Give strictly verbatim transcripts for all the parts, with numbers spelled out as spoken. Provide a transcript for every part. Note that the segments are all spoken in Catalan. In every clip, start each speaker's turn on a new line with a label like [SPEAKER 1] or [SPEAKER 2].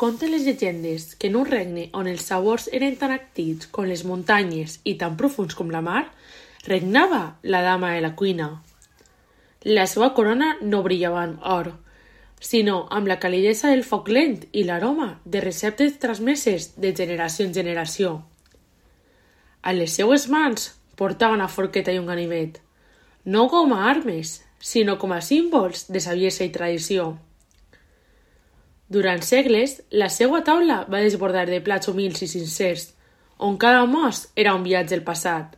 [SPEAKER 1] Conten les llegendes que en un regne on els sabors eren tan actius com les muntanyes i tan profuns com la mar, regnava la dama de la cuina. La seva corona no brillava amb or, sinó amb la calidesa del foc lent i l'aroma de receptes transmeses de generació en generació. A les seues mans portava una forqueta i un ganivet, no com a armes, sinó com a símbols de saviesa i tradició. Durant segles, la seva taula va desbordar de plats humils i sincers, on cada mos era un viatge al passat.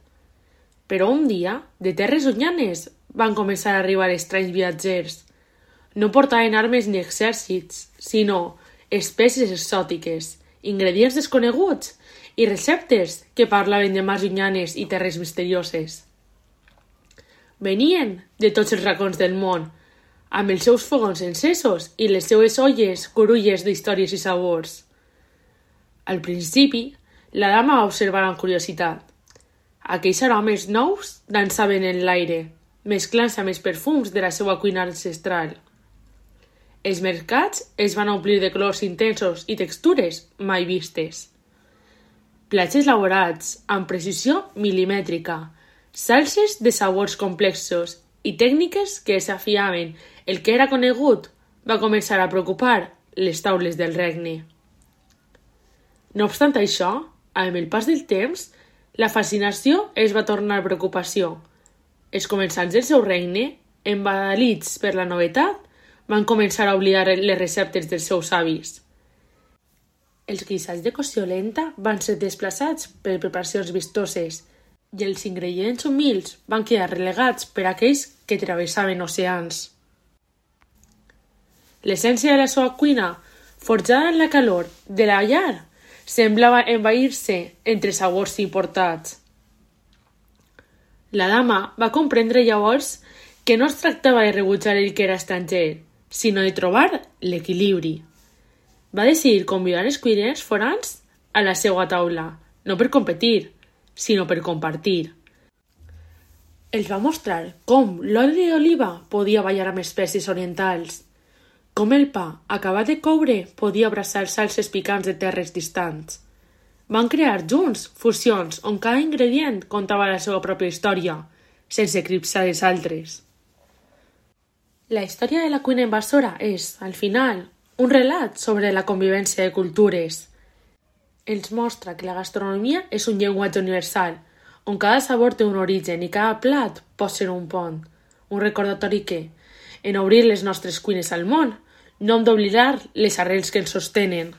[SPEAKER 1] Però un dia, de terres llunyanes, van començar a arribar estranys viatgers. No portaven armes ni exèrcits, sinó espècies exòtiques, ingredients desconeguts i receptes que parlaven de mars llunyanes i terres misterioses. Venien de tots els racons del món, amb els seus fogons encesos i les seues olles curulles d'històries i sabors. Al principi, la dama va observar amb curiositat. Aquells aromes nous dansaven en l'aire, mesclant-se amb els perfums de la seva cuina ancestral. Els mercats es van omplir de colors intensos i textures mai vistes. Plats elaborats amb precisió milimètrica, salses de sabors complexos i tècniques que desafiaven el que era conegut va començar a preocupar les taules del regne. No obstant això, amb el pas del temps, la fascinació es va tornar preocupació. Els comensals del seu regne, embadalits per la novetat, van començar a oblidar les receptes dels seus avis. Els guisats de cocció lenta van ser desplaçats per preparacions vistoses i els ingredients humils van quedar relegats per aquells que travessaven oceans. L'essència de la seva cuina, forjada en la calor de la llar, semblava envair-se entre sabors importats. La dama va comprendre llavors que no es tractava de rebutjar el que era estranger, sinó de trobar l'equilibri. Va decidir convidar els cuiners forans a la seva taula, no per competir, sinó per compartir. Els va mostrar com l'oli d'oliva podia ballar amb espècies orientals, com el pa acabat de coure podia abraçar salses picants de terres distants. Van crear junts fusions on cada ingredient contava la seva pròpia història, sense eclipsar les altres. La història de la cuina invasora és, al final, un relat sobre la convivència de cultures. Ens mostra que la gastronomia és un llenguatge universal, on cada sabor té un origen i cada plat pot ser un pont, un recordatori que, en obrir les nostres cuines al món, no hem d'oblidar les arrels que ens sostenen.